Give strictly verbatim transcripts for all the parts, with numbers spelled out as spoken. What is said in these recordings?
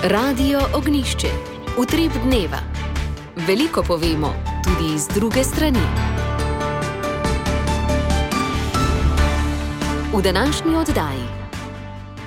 Radio Ognjišče. Utrip dneva. Veliko povemo, tudi iz druge strani. V današnji oddaji.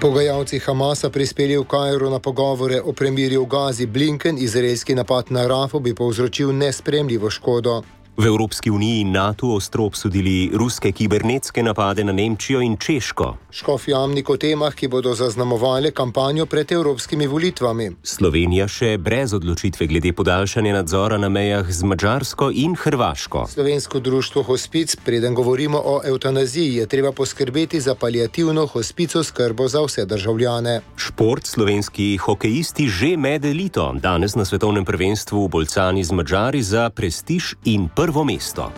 Pogajalci Hamasa prispeli v Kairu na pogovore o premirju v Gazi. Blinken, izraelski napad na Rafo bi povzročil nesprejemljivo škodo. V Evropski uniji in NATO ostro obsodili ruske kibernetske napade na Nemčijo in Češko. Škof Jamnik o temah, ki bodo zaznamovale kampanjo pred evropskimi volitvami. Slovenija še brez odločitve glede podaljšanja nadzora na mejah z Madžarsko in Hrvaško. Slovensko društvo Hospic, preden govorimo o evtanaziji, je treba poskrbeti za paliativno hospico skrbo za vse državljane. Šport, slovenski hokejisti že med elito. Danes na svetovnem prvenstvu v Bolcani z Madžari za prestiž in prvo mesto.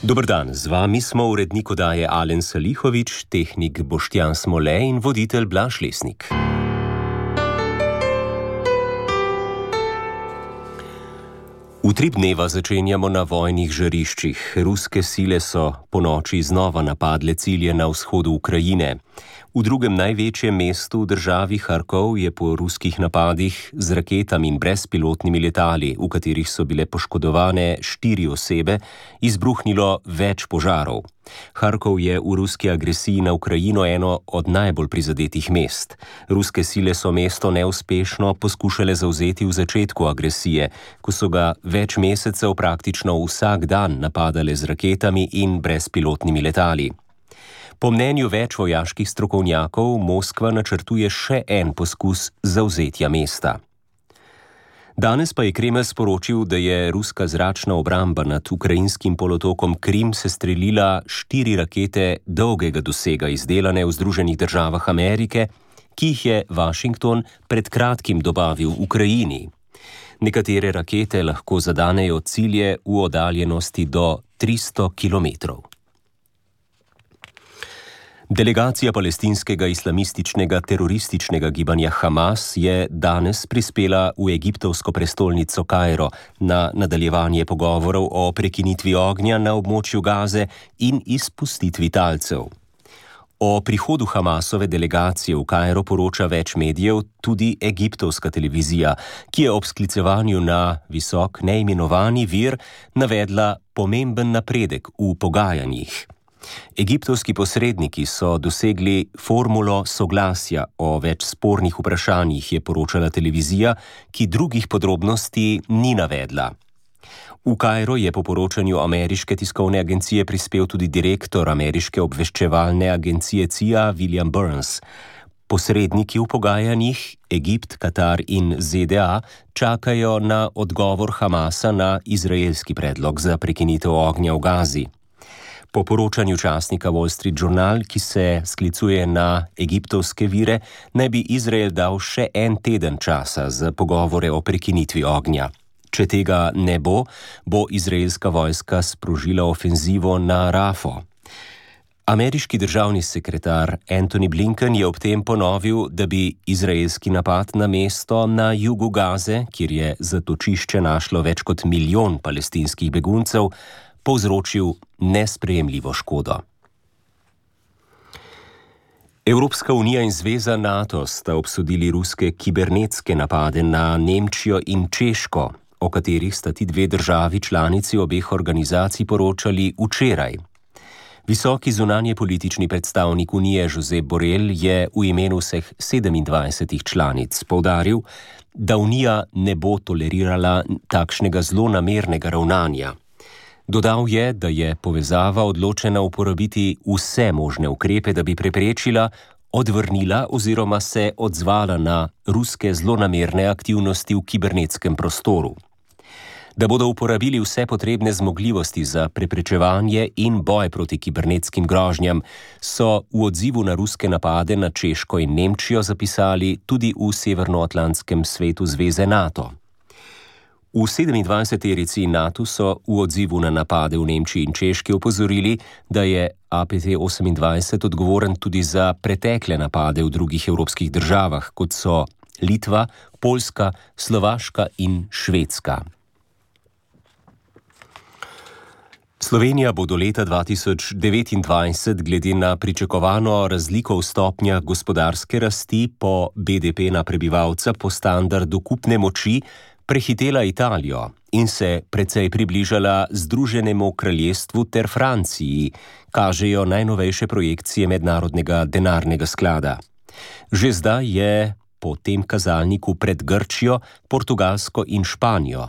Dober dan, z vami smo urednik oddaje Alen Salihovič, tehnik Boštjan Smole in voditelj Blaž Lesnik. Utrip dneva začenjamo na vojnih žariščih. Ruske sile so ponoči znova napadle cilje na vzhodu Ukrajine. V drugem največjem mestu v državi Harkov je po ruskih napadih z raketami in brezpilotnimi letali, v katerih so bile poškodovane štiri osebe, izbruhnilo več požarov. Harkov je v ruski agresiji na Ukrajino eno od najbolj prizadetih mest. Ruske sile so mesto neuspešno poskušale zavzeti v začetku agresije, ko so ga več mesecev praktično vsak dan napadale z raketami in brezpilotnimi letali. Po mnenju več vojaških strokovnjakov, Moskva načrtuje še en poskus zavzetja mesta. Danes pa je Kremelj sporočil, da je ruska zračna obramba nad ukrajinskim polotokom Krim sestrelila štiri rakete dolgega dosega, izdelane v Združenih državah Amerike, ki jih je Washington pred kratkim dobavil Ukrajini. Nekatere rakete lahko zadanejo cilje v oddaljenosti do tristo kilometrov. Delegacija palestinskega islamističnega terorističnega gibanja Hamas je danes prispela v egiptovsko prestolnico Kairo na nadaljevanje pogovorov o prekinitvi ognja na območju Gaze in izpustitvi talcev. O prihodu Hamasove delegacije v Kairo poroča več medijev, tudi egiptovska televizija, ki je ob sklicevanju na visok neimenovani vir navedla pomemben napredek v pogajanjih. Egiptovski posredniki so dosegli formulo soglasja o več spornih vprašanjih, je poročala televizija, ki drugih podrobnosti ni navedla. V Kairo je po poročanju ameriške tiskovne agencije prispel tudi direktor ameriške obveščevalne agencije C I A William Burns. Posredniki v pogajanjih, Egipt, Katar in Z D A, čakajo na odgovor Hamasa na izraelski predlog za prekinitev ognja v Gazi. Po poročanju časnika Wall Street Journal, ki se sklicuje na egiptovske vire, naj bi Izrael dal še en teden časa za pogovore o prekinitvi ognja. Če tega ne bo, bo izraelska vojska sprožila ofenzivo na Rafo. Ameriški državni sekretar Antony Blinken je ob tem ponovil, da bi izraelski napad na mesto na jugu Gaze, kjer je zatočišče našlo več kot milijon palestinskih beguncev, povzročil nesprejemljivo škodo. Evropska unija in zveza NATO sta obsodili ruske kibernetske napade na Nemčijo in Češko, o katerih sta ti dve državi članici obeh organizacij poročali včeraj. Visoki zunanje politični predstavnik Unije Josep Borrell je v imenu vseh sedemindvajsetih članic poudaril, da Unija ne bo tolerirala takšnega zlonamernega ravnanja. Dodal je, da je povezava odločena uporabiti vse možne ukrepe, da bi preprečila, odvrnila oziroma se odzvala na ruske zlonamerne aktivnosti v kibernetskem prostoru. Da bodo uporabili vse potrebne zmogljivosti za preprečevanje in boj proti kibernetskim grožnjam, so v odzivu na ruske napade na Češko in Nemčijo zapisali tudi v Severnoatlantskem svetu zveze NATO. V sedemindvajseterici NATO so v odzivu na napade v Nemčiji in Češki opozorili, da je A P T osemindvajset odgovoren tudi za pretekle napade v drugih evropskih državah, kot so Litva, Poljska, Slovaška in Švedska. Slovenija bo do leta dva tisoč devetindvajset glede na pričakovano razliko v stopnjah gospodarske rasti po B D P na prebivalca po standardu kupne moči prehitela Italijo in se precej približala Združenemu kraljestvu ter Franciji, kažejo najnovejše projekcije Mednarodnega denarnega sklada. Že zdaj je po tem kazalniku pred Grčijo, Portugalsko in Španijo.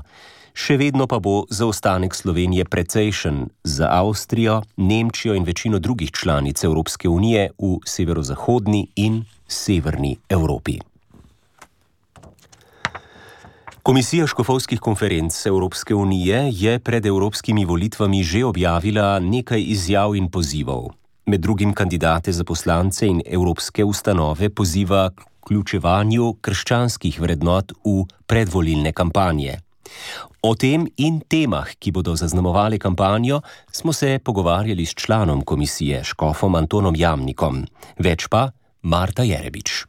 Še vedno pa bo zaostanek Slovenije precejšen za Avstrijo, Nemčijo in večino drugih članic Evropske unije v severozahodni in severni Evropi. Komisija škofovskih konferenc Evropske unije je pred evropskimi volitvami že objavila nekaj izjav in pozivov. Med drugim kandidate za poslance in evropske ustanove poziva k vključevanju krščanskih vrednot v predvolilne kampanje. O tem in temah, ki bodo zaznamovali kampanjo, smo se pogovarjali s članom komisije, škofom Antonom Jamnikom. Več pa Marta Jerebič.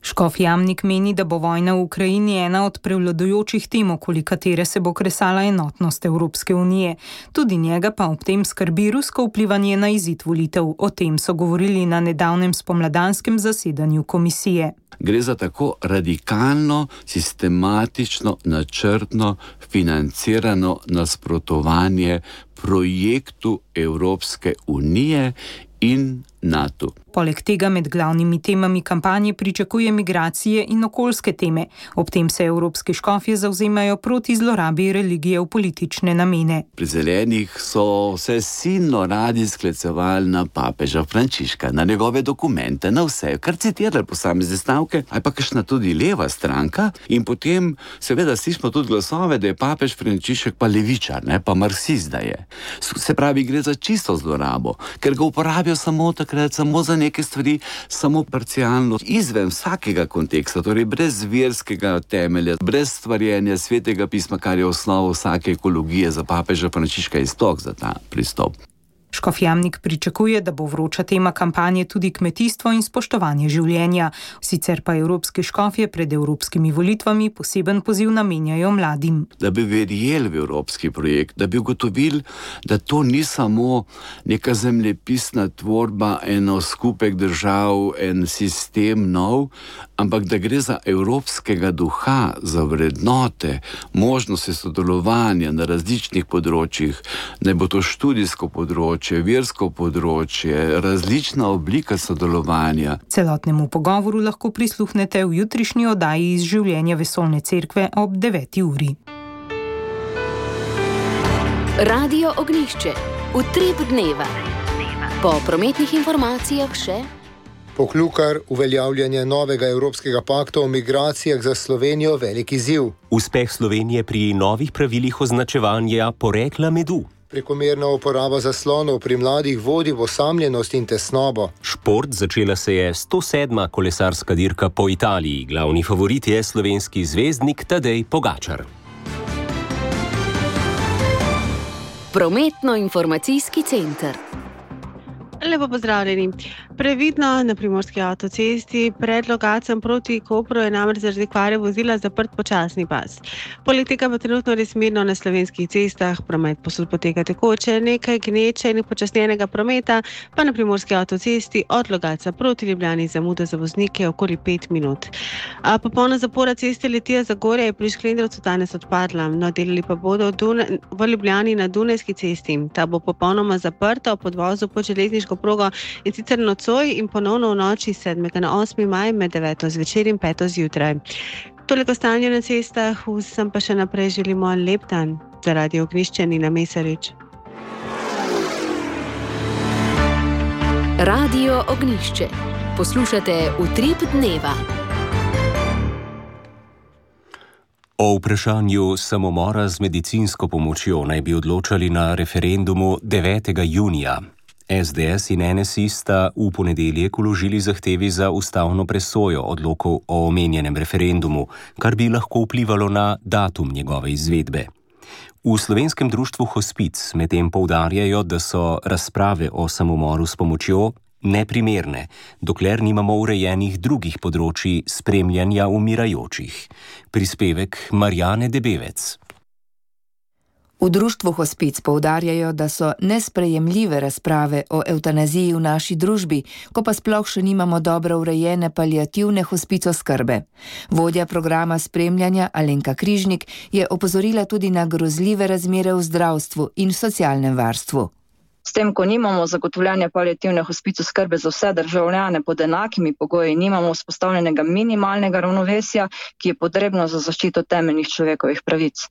Škof Jamnik meni, da bo vojna v Ukrajini ena od prevladujočih tem, okoli katere se bo kresala enotnost Evropske unije. Tudi njega pa ob tem skrbi rusko vplivanje na izid volitev. O tem so govorili na nedavnem spomladanskem zasedanju komisije. Gre za tako radikalno, sistematično, načrtno, financirano nasprotovanje projektu Evropske unije in NATO. Poleg tega med glavnimi temami kampanje pričakuje migracije in okoljske teme. Ob tem se evropski škofje zavzemajo proti zlorabi religije v politične namene. Pri zelenih so vse silno radi sklicevali na papeža Frančiška, na njegove dokumente, na vse, kar citirali posamezne stavke, ali pa kakšna tudi leva stranka. In potem seveda slišimo tudi glasove, da je papež Frančišek pa levičar, ne, pa marksist da je. Se pravi, gre za čisto zlorabo, ker ga uporabijo samo takrat, samo za neke stvari, samo parcialno, izven vsakega konteksta, torej brez verskega temelja, brez stvarjenja svetega pisma, kar je osnova vsake ekologije za papeža Frančiška in sploh za ta pristop. Škof Jamnik pričakuje, da bo vroča tema kampanje tudi kmetijstvo in spoštovanje življenja. Sicer pa evropski škofje pred evropskimi volitvami poseben poziv namenjajo mladim. Da bi verjeli v evropski projekt, da bi ugotovili, da to ni samo neka zemljepisna tvorba, eno skupek držav, en sistem nov, ampak da gre za evropskega duha, za vrednote, možnosti sodelovanja na različnih področjih, ne bo to študijsko področje, versko področje, različna oblika sodelovanja. Celotnemu pogovoru lahko prisluhnete v jutrišnji oddaji iz življenja Vesoljne cerkve ob deveti uri. Radio Ognjišče. Utrip dneva. Po prometnih informacijah še Poklukar, uveljavljanje novega Evropskega pakta o migracijah za Slovenijo velik izziv. Uspeh Slovenije pri novih pravilih označevanja porekla medu. Prekomerna uporaba zaslonov pri mladih vodi v osamljenost in tesnobo. Šport, začela se je sto sedma kolesarska dirka po Italiji. Glavni favorit je slovenski zvezdnik Tadej Pogačar. Prometno-informacijski center. Lepo pozdravljeni. Previdno na primorski avtocesti pred lokacijom proti Kopru je namreč zaradi kvare vozila zaprt počasni pas. Poleg tega pa trenutno res mirno na slovenskih cestah, promet posod poteka tekoče, nekaj gneče in počasnjenega prometa, pa na primorski avtocesti od lokacija proti Ljubljani zamuda za voznike okoli pet minut. A popolna zapora ceste Litija Zagorje je pri Šklendrovcu danes odpadla, no delali pa bodo v Ljubljani na Dunajski cesti. Ta bo popolnoma zaprta ob podvozu pod železniško progo in sicer nocoj in ponovno v noči sedmega na osmi maj med deveto zvečer in peto zjutraj. Toliko stanje na cestah, vsem pa še naprej želimo lep dan. Za Radio Ognjišče Nina Mesarič. Radio Ognjišče. Poslušate Utrip dneva. O vprašanju samomora z medicinsko pomočjo naj bi odločali na referendumu devetega junija. S D S in N S I sta v ponedeljek vložili zahtevi za ustavno presojo odlokov o omenjenem referendumu, kar bi lahko vplivalo na datum njegove izvedbe. V Slovenskem društvu Hospic medtem poudarjajo, da so razprave o samomoru s pomočjo neprimerne, dokler nimamo urejenih drugih področji spremljanja umirajočih. Prispevek Marjane Debevec. V društvu Hospic poudarjajo, da so nesprejemljive razprave o evtanaziji v naši družbi, ko pa sploh še nimamo dobro urejene paliativne hospicoskrbe. Vodja programa spremljanja Alenka Križnik je opozorila tudi na grozljive razmere v zdravstvu in socialnem varstvu. S tem, ko nimamo zagotovljene paliativne hospicoskrbe za vse državljane pod enakimi pogoji, nimamo vzpostavljenega minimalnega ravnovesja, ki je potrebno za zaščito temeljnih človekovih pravic.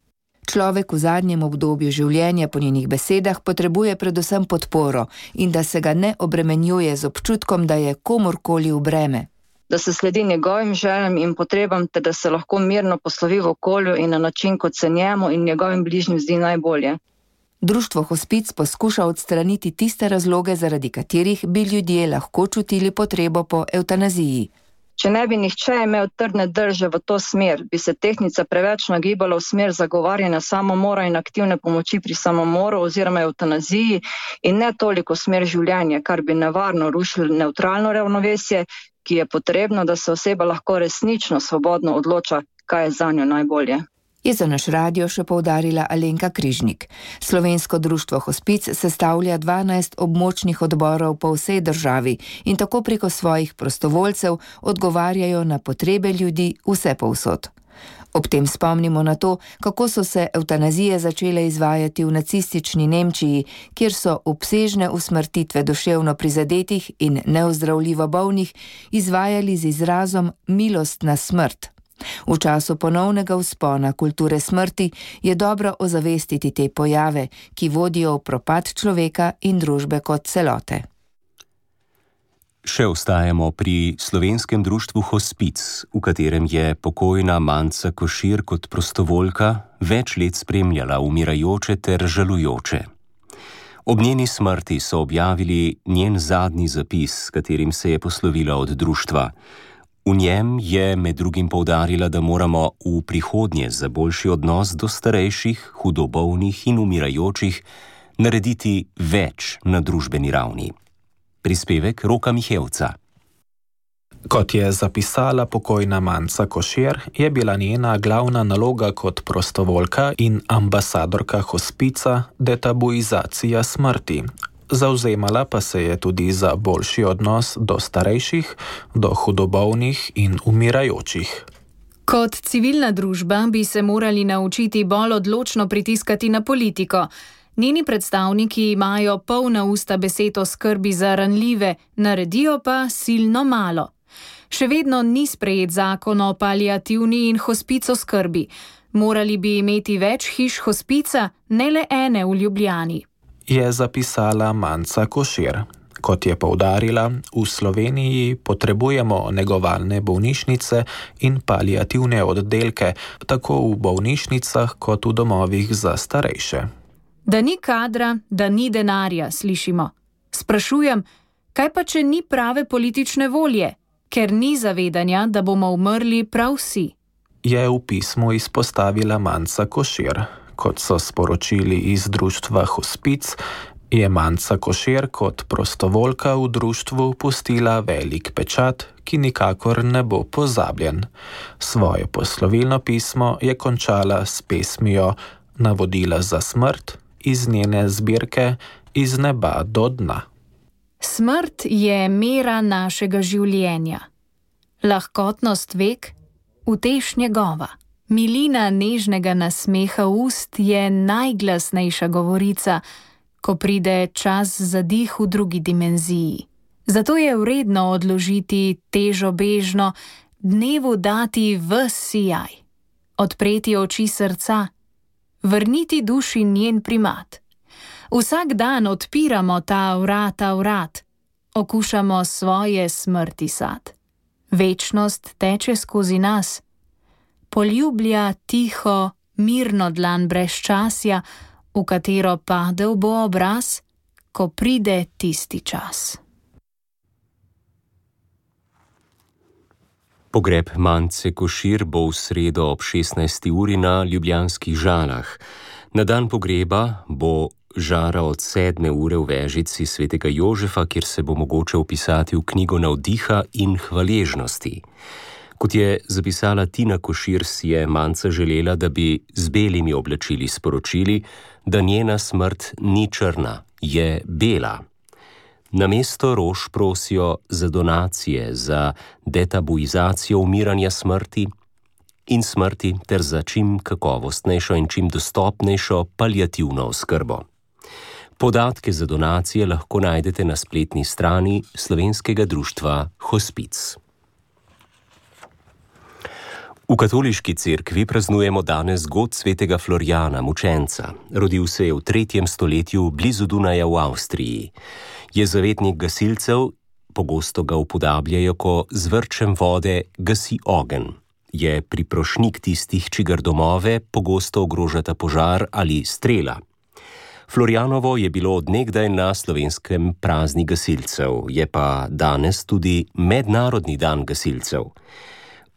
Človek v zadnjem obdobju življenja po njenih besedah potrebuje predvsem podporo in da se ga ne obremenjuje z občutkom, da je komorkoli v breme. Da se sledi njegovim željam in potrebam, ter da se lahko mirno poslovi v okolju in na način, kot se njemu in njegovim bližnjim zdi najbolje. Društvo Hospic poskuša odstraniti tiste razloge, zaradi katerih bi ljudje lahko čutili potrebo po evtanaziji. Če ne bi nihče imel trdne drže v to smer, bi se tehtnica preveč nagibala v smer zagovarjanja samomora in aktivne pomoči pri samomoru oziroma evtanaziji in ne toliko smer življenja, kar bi nevarno rušilo neutralno ravnovesje, ki je potrebno, da se oseba lahko resnično svobodno odloča, kaj je zanjo najbolje. Je za naš radio še poudarila Alenka Križnik. Slovensko društvo Hospic sestavlja dvanajst območnih odborov po vsej državi in tako preko svojih prostovoljcev odgovarjajo na potrebe ljudi vse povsod. Ob tem spomnimo na to, kako so se evtanazije začele izvajati v nacistični Nemčiji, kjer so obsežne usmrtitve duševno prizadetih in neozdravljivo bolnih izvajali z izrazom milost na smrt. V času ponovnega vzpona kulture smrti je dobro ozavestiti te pojave, ki vodijo v propad človeka in družbe kot celote. Še ostajamo pri slovenskem društvu Hospic, v katerem je pokojna Manca Košir kot prostovoljka več let spremljala umirajoče ter žalujoče. Ob njeni smrti so objavili njen zadnji zapis, s katerim se je poslovila od društva. V njem je med drugim poudarila, da moramo v prihodnje za boljši odnos do starejših, hudobolnih in umirajočih narediti več na družbeni ravni. Prispevek Roka Mihevca. Kot je zapisala pokojna Manca Košir, je bila njena glavna naloga kot prostovoljka in ambasadorka Hospica detabuizacija smrti. Zavzemala pa se je tudi za boljši odnos do starejših, do hudobolnih in umirajočih. Kot civilna družba bi se morali naučiti bolj odločno pritiskati na politiko. Njeni predstavniki imajo polna usta besed o skrbi za ranljive, naredijo pa silno malo. Še vedno ni sprejet zakon o paliativni in hospico skrbi. Morali bi imeti več hiš hospica, ne le ene v Ljubljani. Je zapisala Manca Košir. Kot je poudarila, v Sloveniji potrebujemo negovalne bolnišnice in paliativne oddelke, tako v bolnišnicah kot v domovih za starejše. Da ni kadra, da ni denarja, slišimo. Sprašujem, kaj pa če ni prave politične volje, ker ni zavedanja, da bomo umrli prav vsi? Je v pismu izpostavila Manca Košir. Kot so sporočili iz društva Hospic, je Manca Košir kot prostovoljka v društvu pustila velik pečat, ki nikakor ne bo pozabljen. Svoje poslovilno pismo je končala s pesmijo Navodila za smrt iz njene zbirke Iz neba do dna. Smrt je mera našega življenja. Lahkotnost vek, utež njegova. Milina nežnega nasmeha ust je najglasnejša govorica, ko pride čas za dih v drugi dimenziji. Zato je vredno odložiti težo bežno, dnevu dati ves sijaj, odpreti oči srca, vrniti duši njen primat. Vsak dan odpiramo ta vrata vrat, okušamo svoje smrti sad. Večnost teče skozi nas, poljublja tiho, mirno dlan brezčasja, v katero padel bo obraz, ko pride tisti čas. Pogreb Mance Košir bo v sredo ob šestnajsti uri na ljubljanskih Žalah. Na dan pogreba bo žara od sedme ure v vežici svetega Jožefa, kjer se bo mogoče vpisati v knjigo navdiha in hvaležnosti. Kot je zapisala Tina Košir, si je Manca želela, da bi z belimi oblačili sporočili, da njena smrt ni črna, je bela. Namesto rož prosijo za donacije, za detabuizacijo umiranja smrti in smrti ter za čim kakovostnejšo in čim dostopnejšo paliativno oskrbo. Podatke za donacije lahko najdete na spletni strani Slovenskega društva Hospic. V katoliški cerkvi praznujemo danes god svetega Florijana, mučenca. Rodil se je v tretjem stoletju blizu Dunaja v Avstriji. Je zavetnik gasilcev, pogosto ga upodabljajo, ko z vrčem vode gasi ogenj. Je priprošnik tistih, čigar domove pogosto ogrožata požar ali strela. Florijanovo je bilo odnegdaj na slovenskem praznik gasilcev, je pa danes tudi Mednarodni dan gasilcev.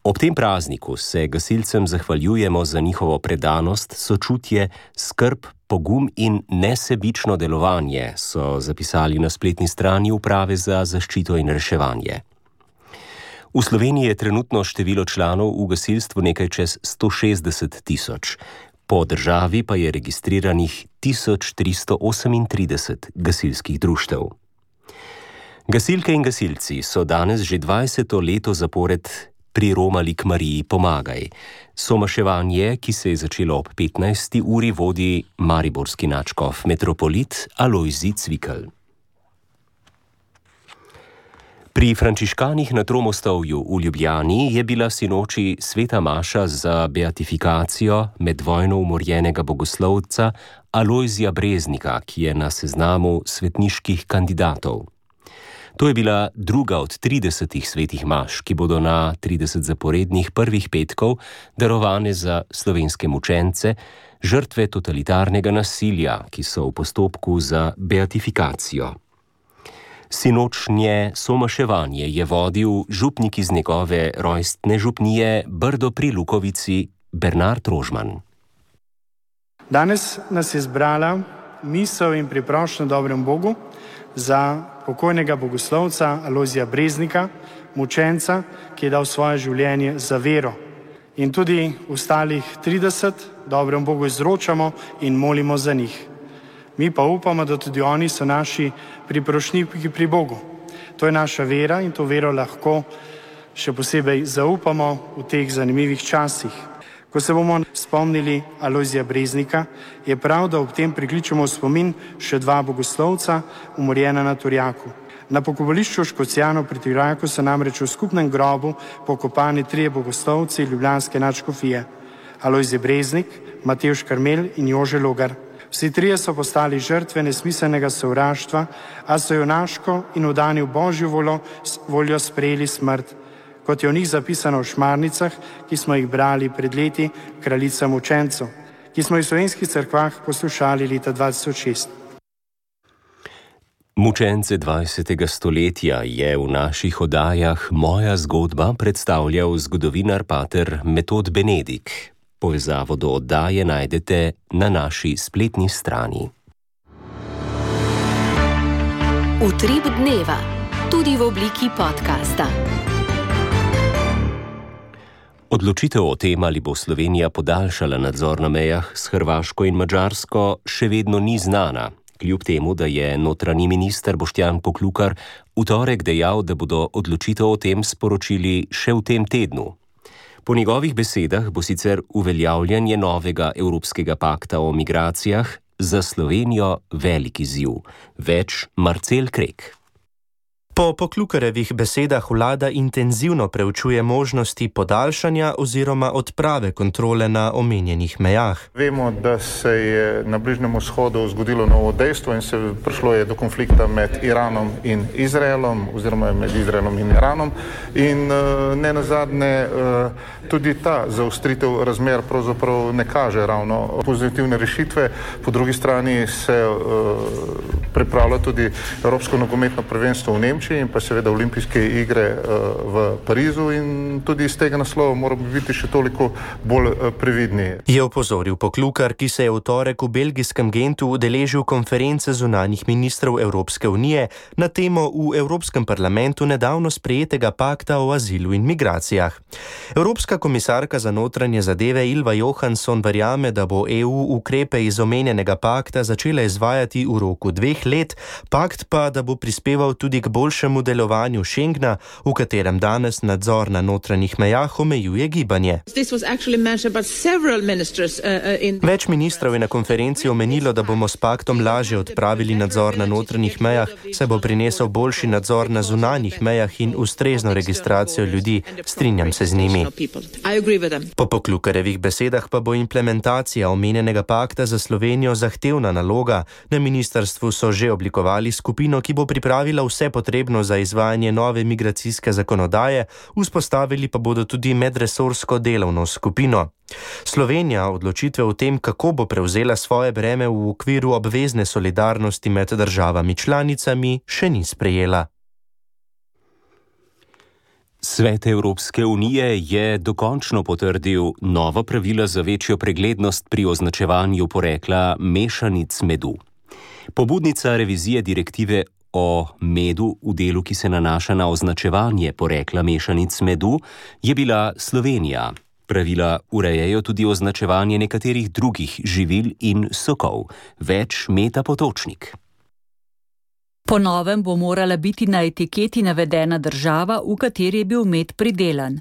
Ob tem prazniku se gasilcem zahvaljujemo za njihovo predanost, sočutje, skrb, pogum in nesebično delovanje, so zapisali na spletni strani Uprave za zaščito in reševanje. V Sloveniji je trenutno število članov v gasilstvu nekaj čez sto šestdeset tisoč, po državi pa je registriranih tisoč tristo osemintrideset gasilskih društev. Gasilke in gasilci so danes že dvajseto leto zapored priromali k Mariji Pomagaj. Somaševanje, ki se je začelo ob petnajsti uri, vodi mariborski nadškof metropolit Alojzij Cvikl. Pri frančiškanih na Tromostovju v Ljubljani je bila sinoči sveta maša za beatifikacijo med vojno umorjenega bogoslovca Alojzija Breznika, ki je na seznamu svetniških kandidatov. To je bila druga od tridesetih svetih maš, ki bodo na trideset zaporednih prvih petkov darovane za slovenske mučence, žrtve totalitarnega nasilja, ki so v postopku za beatifikacijo. Sinočnje somaševanje je vodil župnik iz njegove rojstne župnije Brdo pri Lukovici Bernard Rožman. Danes nas je zbrala misel in priprošnja dobremu Bogu za pokojnega bogoslovca Alojzija Breznika, mučenca, ki je dal svoje življenje za vero. In tudi ostalih trideset dobremu Bogu izročamo in molimo za njih. Mi pa upamo, da tudi oni so naši priprošniki pri Bogu. To je naša vera in to vero lahko še posebej zaupamo v teh zanimivih časih. Ko se bomo spomnili Alojzija Breznika, je prav, da ob tem prikličemo v spomin še dva bogoslovca, umorjena na Turjaku. Na pokopališču Škocjanov pri Turjaku so namreč v skupnem grobu pokopani trije bogoslovci ljubljanske nadškofije: Alojzij Breznik, Matevž Karmel in Jože Logar. Vsi trije so postali žrtve nesmiselnega sovraštva, a so junaško in vdani v Božjo voljo, voljo sprejeli smrt, kot je o njih zapisano v šmarnicah, ki smo jih brali pred leti Kraljicam učencev, ki smo jih v slovenskih cerkvah poslušali leta dva tisoč šest. Mučence dvajsetega stoletja je v naših oddajah Moja zgodba predstavljal zgodovinar pater Metod Benedik. Povezavo do oddaje najdete na naši spletni strani. Utrip dneva, tudi v obliki podcasta. Odločitev o tem, ali bo Slovenija podaljšala nadzor na mejah s Hrvaško in Madžarsko, še vedno ni znana, kljub temu, da je notranji minister Boštjan Poklukar v torek dejal, da bodo odločitev o tem sporočili še v tem tednu. Po njegovih besedah bo sicer uveljavljanje novega Evropskega pakta o migracijah za Slovenijo velik izziv. Več Marcel Krek. Po Poklukarjevih besedah vlada intenzivno preučuje možnosti podaljšanja oziroma odprave kontrole na omenjenih mejah. Vemo, da se je na Bližnjem vzhodu zgodilo novo dejstvo in se prišlo je do konflikta med Iranom in Izraelom oziroma med Izraelom in Iranom in ne nazadnje tudi ta zaostritev razmer pravzaprav ne kaže ravno pozitivne rešitve. Po drugi strani se pripravlja tudi Evropsko nogometno prvenstvo v Nemčiji Soči in pa seveda olimpijske igre v Parizu in tudi iz tega naslova moramo biti še toliko bolj previdni. Je opozoril Poklukar, ki se je v torek v belgijskem Gentu udeležil konference zunanjih ministrov Evropske unije na temo v Evropskem parlamentu nedavno sprejetega pakta o azilu in migracijah. Evropska komisarka za notranje zadeve Ylva Johansson verjame, da bo E U ukrepe iz omenjenega pakta začela izvajati v roku dveh let, pakt pa, da bo prispeval tudi k boljšemu delovanju Schengna, v katerem danes nadzor na notranjih mejah omejuje gibanje. Več ministrov je na konferenci omenilo, da bomo s paktom lažje odpravili nadzor na notranjih mejah, saj bo prinesel boljši nadzor na zunanjih mejah in ustrezno registracijo ljudi. Strinjam se z njimi. Po Poklukarjevih besedah pa bo implementacija omenjenega pakta za Slovenijo zahtevna naloga. Na ministrstvu so že oblikovali skupino, ki bo pripravila vse potrebno za izvajanje nove migracijske zakonodaje, vzpostavili pa bodo tudi medresorsko delovno skupino. Slovenija odločitve o tem, kako bo prevzela svoje breme v okviru obvezne solidarnosti med državami članicami, še ni sprejela. Svet Evropske unije je dokončno potrdil nova pravila za večjo preglednost pri označevanju porekla mešanic medu. Pobudnica revizije direktive o medu v delu, ki se nanaša na označevanje porekla mešanic medu, je bila Slovenija. Pravila urejajo tudi označevanje nekaterih drugih živil in sokov. Več Meta Potočnik. Po novem bo morala biti na etiketi navedena država, v kateri je bil med pridelan.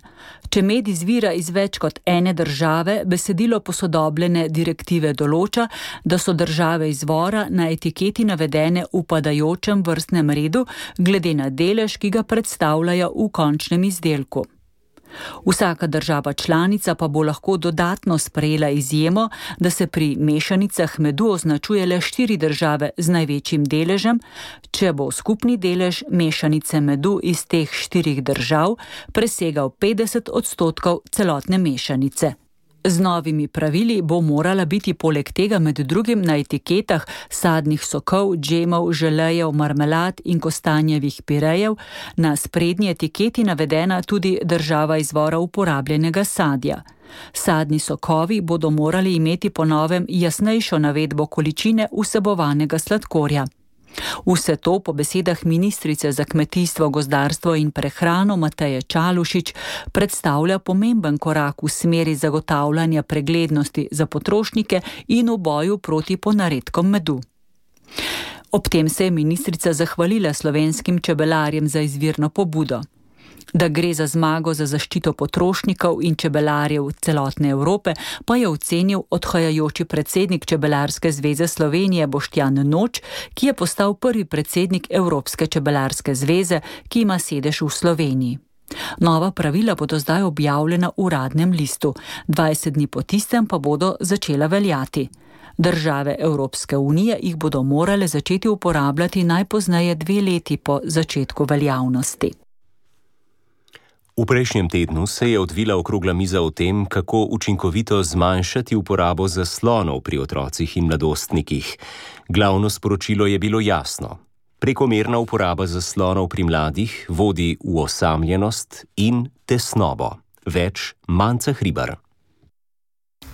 Če med izvira iz več kot ene države, besedilo posodobljene direktive določa, da so države izvora na etiketi navedene v padajočem vrstnem redu, glede na delež, ki ga predstavljajo v končnem izdelku. Vsaka država članica pa bo lahko dodatno sprejela izjemo, da se pri mešanicah medu označuje le štiri države z največjim deležem, če bo skupni delež mešanice medu iz teh štirih držav presegal petdeset odstotkov celotne mešanice. Z novimi pravili bo morala biti poleg tega med drugim na etiketah sadnih sokov, džemov, želejev, marmelad in kostanjevih pirejev na sprednji etiketi navedena tudi država izvora uporabljenega sadja. Sadni sokovi bodo morali imeti po novem jasnejšo navedbo količine vsebovanega sladkorja. Vse to po besedah ministrice za kmetijstvo, gozdarstvo in prehrano Mateje Čalušić predstavlja pomemben korak v smeri zagotavljanja preglednosti za potrošnike in v boju proti ponaredkom medu. Ob tem se je ministrica zahvalila slovenskim čebelarjem za izvirno pobudo. Da gre za zmago za zaščito potrošnikov in čebelarjev celotne Evrope, pa je ocenil odhajajoči predsednik Čebelarske zveze Slovenije Boštjan Noč, ki je postal prvi predsednik Evropske čebelarske zveze, ki ima sedež v Sloveniji. Nova pravila bodo zdaj objavljena v uradnem listu, dvajset dni po tistem pa bodo začela veljati. Države Evropske unije jih bodo morale začeti uporabljati najpozneje dve leti po začetku veljavnosti. V prejšnjem tednu se je odvila okrogla miza o tem, kako učinkovito zmanjšati uporabo zaslonov pri otrocih in mladostnikih. Glavno sporočilo je bilo jasno. Prekomerna uporaba zaslonov pri mladih vodi v osamljenost in tesnobo. Več Manca Hribar.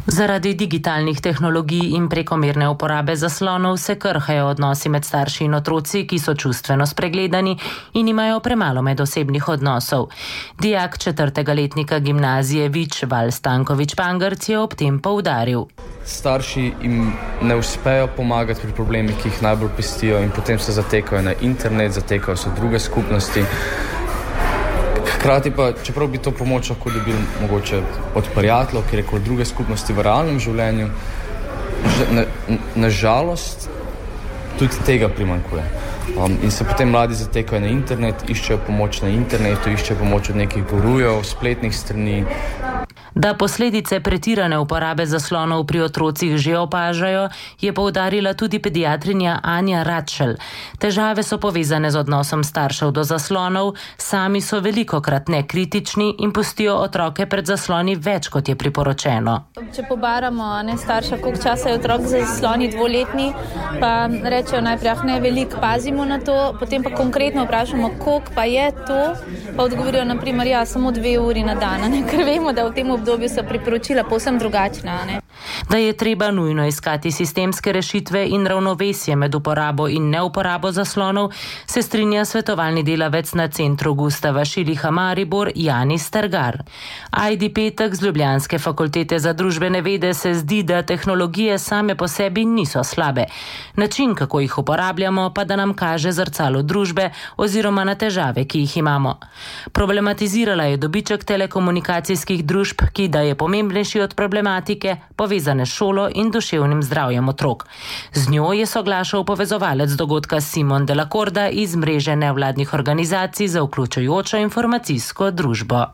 Zaradi digitalnih tehnologij in prekomerne uporabe zaslonov se krhajo odnosi med starši in otroci, ki so čustveno spregledani in imajo premalo medosebnih odnosov. Dijak četrtega letnika gimnazije Vič Val Stankovič Pangrc je ob tem poudaril. Starši jim ne uspejo pomagati pri problemih, ki jih najbolj pestijo, in potem se zatekajo na internet, zatekajo se v druge skupnosti. Hkrati pa, čeprav bi to pomoč lahko dobili mogoče od prijateljev, ki rekel druge skupnosti v realnem življenju, na, na žalost tudi tega primanjkuje. Um, in se potem mladi zatekajo na internet, iščejo pomoč na internetu, iščejo pomoč od nekih gurujev, spletnih strani, Da posledice pretirane uporabe zaslonov pri otrocih že opažajo, je poudarila tudi pediatrinja Anja Ratšel. Težave so povezane z odnosom staršev do zaslonov, sami so velikokrat nekritični in pustijo otroke pred zasloni več, kot je priporočeno. Če pobaramo ne, starša, koliko časa je otrok za zasloni dvoletni, pa rečejo najprej, ah ne, veliko pazimo na to, potem pa konkretno vprašamo, koliko pa je to, pa odgovorijo, naprimer, ja, samo dve uri na dan, ne, ker vemo, da v tem obdobju so priporočila povsem drugačna. Ne? Da je treba nujno iskati sistemske rešitve in ravnovesje med uporabo in neuporabo zaslonov, se strinja svetovalni delavec na centru Gustava Šiliha Maribor Jani Stergar. Ajdi Petek z Ljubljanske fakultete za družbene vede se zdi, da tehnologije same po sebi niso slabe. Način, kako jih uporabljamo, pa da nam kaže zrcalo družbe oziroma na težave, ki jih imamo. Problematizirala je dobiček telekomunikacijskih družb, ki da je pomembnejši od problematike, povezane s šolo in duševnim zdravjem otrok. Z njo je soglašal povezovalec dogodka Simon Delacorda iz mreže nevladnih organizacij za vključujočo informacijsko družbo.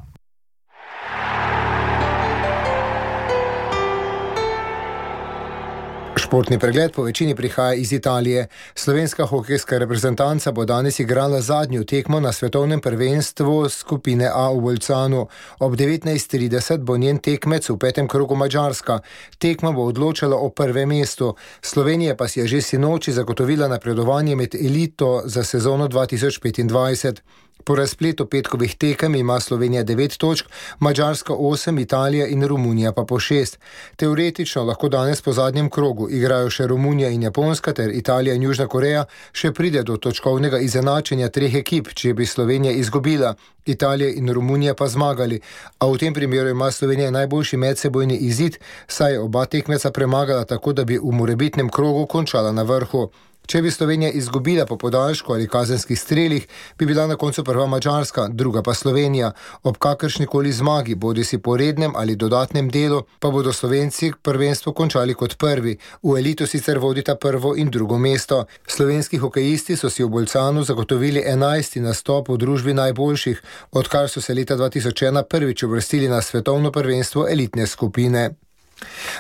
Športni pregled po večini prihaja iz Italije. Slovenska hokejska reprezentanca bo danes igrala zadnjo tekmo na svetovnem prvenstvu skupine A v Bolzanu. Ob devetnajst trideset bo njen tekmec v petem krogu Madžarska. Tekma bo odločala o prvem mestu. Slovenija pa si je že sinoči zagotovila napredovanje med elito za sezono dva tisoč petindvajset. Po razpletu petkovih tekem ima Slovenija devet točk, Madžarska osem, Italija in Romunija pa po šest. Teoretično lahko danes po zadnjem krogu igrajo še Romunija in Japonska ter Italija in Južna Koreja, še pride do točkovnega izenačenja treh ekip, če bi Slovenija izgubila, Italija in Romunija pa zmagali. A v tem primeru ima Slovenija najboljši medsebojni izid, saj je oba tekmeca premagala tako, da bi v morebitnem krogu končala na vrhu. Če bi Slovenija izgubila po podaljšku ali kazenskih strelih, bi bila na koncu prva Madžarska, druga pa Slovenija. Ob kakršnikoli zmagi, bodi si po rednem ali dodatnem delu, pa bodo Slovenci prvenstvo končali kot prvi. V elito sicer vodita prvo in drugo mesto. Slovenski hokejisti so si v Bolzanu zagotovili enajsti nastop v družbi najboljših, odkar so se leta dva tisoč ena prvič uvrstili na svetovno prvenstvo elitne skupine.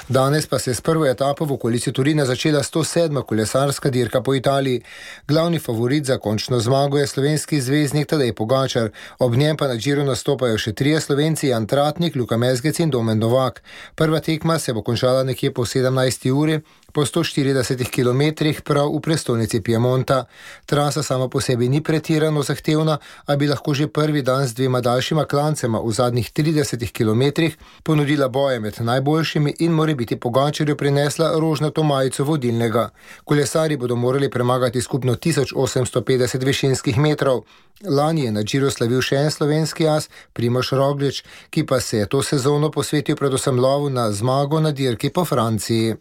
Danes pa se je s prvo etapo v okolici Turina začela sto sedma kolesarska dirka po Italiji. Glavni favorit za končno zmago je slovenski zvezdnik Tadej Pogačar. Ob njem pa na Giru nastopajo še trije Slovenci, Jan Tratnik, Luka Mezgec in Domen Novak. Prva tekma se bo končala nekje po sedemnajsti uri, po sto štiridesetih kilometrih prav v prestolnici Piemonta. Trasa sama po sebi ni pretirano zahtevna, a bi lahko že prvi dan z dvema daljšima klancema v zadnjih tridesetih kilometrih ponudila boje med najboljšimi in more biti Pogačarju prinesla rožnato majico vodilnega. Kolesarji bodo morali premagati skupno tisoč osemsto petdeset višinskih metrov. Lani je na Giru slavil še en slovenski as, Primož Roglič, ki pa se je to sezono posvetil predvsem lovu na zmago na dirki po Franciji.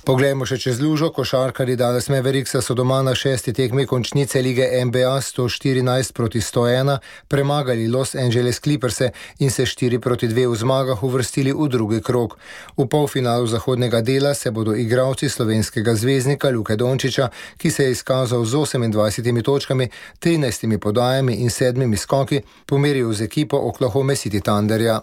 Poglejmo še čez lužo. Košarkarji Dallas Mavericksa so doma na šesti tekmi končnice lige N B A sto štirinajst proti sto ena premagali Los Angeles Clipperse in se štiri proti dve v zmagah uvrstili v drugi krog. V polfinalu zahodnega dela se bodo igralci slovenskega zvezdnika Luke Dončića, ki se je izkazal z osemindvajsetimi točkami, trinajstimi podajami in sedmimi skoki, pomeril z ekipo Oklahoma City Thunderja.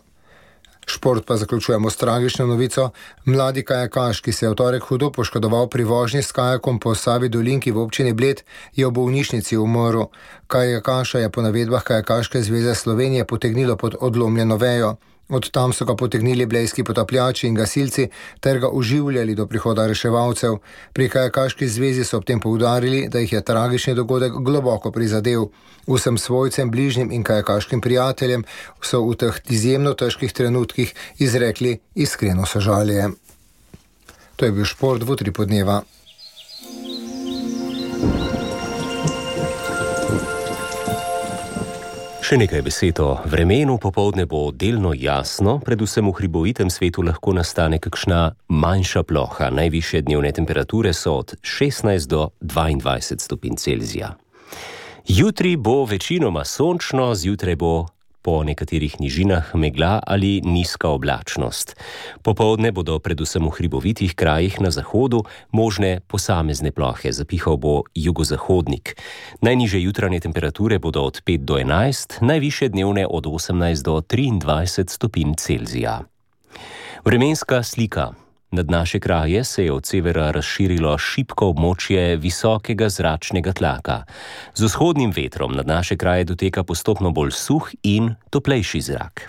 Šport pa zaključujemo s tragično novico. Mladi kajakaš, ki se je v torek hudo poškodoval pri vožnji s kajakom po Savi dolinki v občini Bled, je v bolnišnici umrl. Kajakaša je po navedbah Kajakaške zveze Slovenije potegnilo pod odlomljeno vejo. Od tam so ga potegnili blejski potapljači in gasilci ter ga oživljali do prihoda reševalcev. Pri Kajakaški zvezi so ob tem poudarili, da jih je tragični dogodek globoko prizadel. Vsem svojcem, bližnjim in kajakaškim prijateljem so v teh izjemno težkih trenutkih izrekli iskreno sožalje. To je bil šport v Utripu dneva. Še nekaj besed o vremenu. Popoldne bo delno jasno, predvsem v hribovitem svetu lahko nastane kakšna manjša ploha. Najvišje dnevne temperature so od šestnajst do dvaindvajset stopinj Celzija. Jutri bo večinoma sončno, zjutraj bo Po nekaterih nižinah megla ali nizka oblačnost. Popoldne bodo predvsem v hribovitih krajih na zahodu možne posamezne plohe, zapihal bo jugozahodnik. Najnižje jutranje temperature bodo od pet do enajst, najvišje dnevne od osemnajst do triindvajset stopinj Celzija. Vremenska slika. Nad naše kraje se je od severa razširilo šibko območje visokega zračnega tlaka. Z vzhodnim vetrom nad naše kraje doteka postopno bolj suh in toplejši zrak.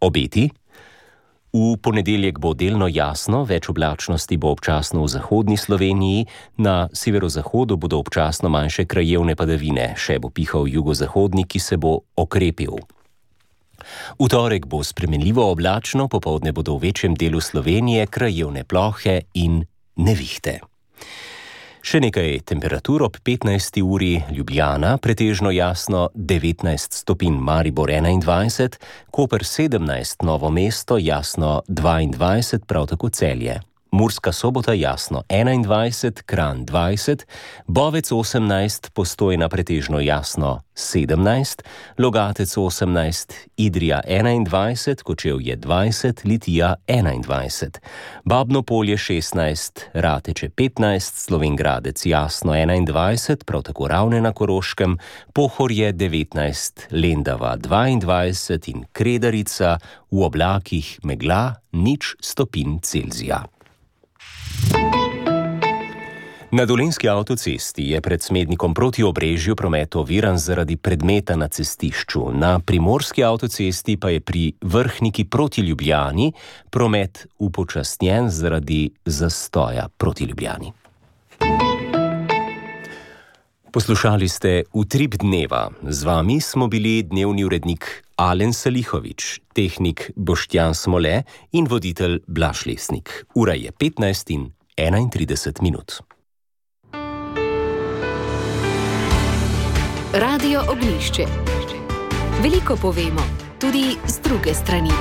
Obeti? V ponedeljek bo delno jasno, več oblačnosti bo občasno v zahodni Sloveniji, na severozahodu bodo občasno manjše krajevne padavine, še bo pihal jugozahodnik, ki se bo okrepil. V torek bo spremenljivo oblačno, popoldne bodo v večjem delu Slovenije krajevne plohe in nevihte. Še nekaj temperatur ob petnajsti uri Ljubljana, pretežno jasno devetnajst stopinj, Maribor enaindvajset, Koper sedemnajst, Novo mesto jasno dvaindvajset, prav tako Celje. Murska Sobota jasno enaindvajset, Kranj dvajset, Bovec osemnajst, Postojna pretežno jasno sedemnajst, Logatec osemnajst, Idrija enaindvajset, Kočevje dvajset, Litija enaindvajset, Babno Polje šestnajst, Rateče petnajst, Slovenj Gradec jasno enaindvajset, prav tako Ravne na Koroškem, Pohorje devetnajst, Lendava dvaindvajset in Kredarica v oblakih megla nič stopinj Celzija. Na dolenjski avtocesti je pred Smednikom proti Obrežju promet oviran zaradi predmeta na cestišču. Na primorski avtocesti pa je pri Vrhniki proti Ljubljani promet upočasnjen zaradi zastoja proti Ljubljani. Poslušali ste Utrip dneva. Z vami smo bili dnevni urednik Alen Salihovič, tehnik Boštjan Smole in voditelj Blaž Lesnik. Ura je petnajst in enaintrideset minut. Radio Ognjišče. Veliko povemo, tudi z druge strani.